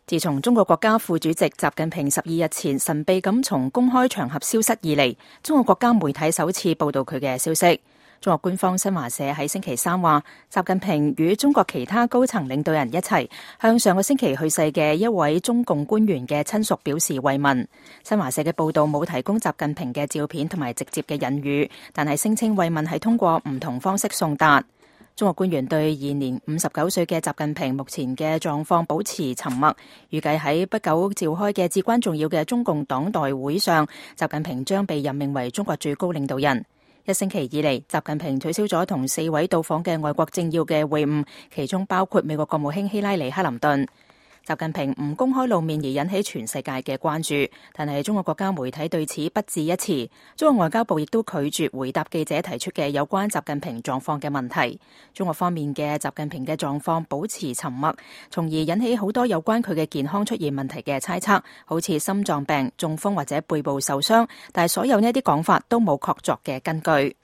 自從中國國家副主席習近平12日前神秘咁從公開場合消失以嚟，中國國家媒體首次報道佢嘅消息。中國官方新華社喺星期三話，習近平與中國其他高層領導人一齊向上個星期去世嘅一位中共官員嘅親屬表示慰問。新華社嘅報道冇提供習近平嘅照片同埋直接嘅引語，但係聲稱慰問係通過唔同方式送達。中國官員對現年59歲嘅習近平目前嘅狀況保持沉默，預計喺不久召開嘅至關重要嘅中共黨代會上，習近平將被任命為中國最高領導人。一星期以嚟，習近平取消咗同4位到訪嘅外國政要嘅會晤，其中包括美國國務卿希拉里·克林頓。習近平唔公開露面而引起全世界嘅關注，但係中國國家媒體對此不置一詞。中國外交部亦都拒絕回答記者提出嘅有關習近平狀況嘅問題。中國方面嘅習近平嘅狀況保持沉默，從而引起好多有關佢嘅健康出現問題嘅猜測，好似心臟病、中風或者背部受傷，但係所有呢啲講法都冇確鑿嘅根據。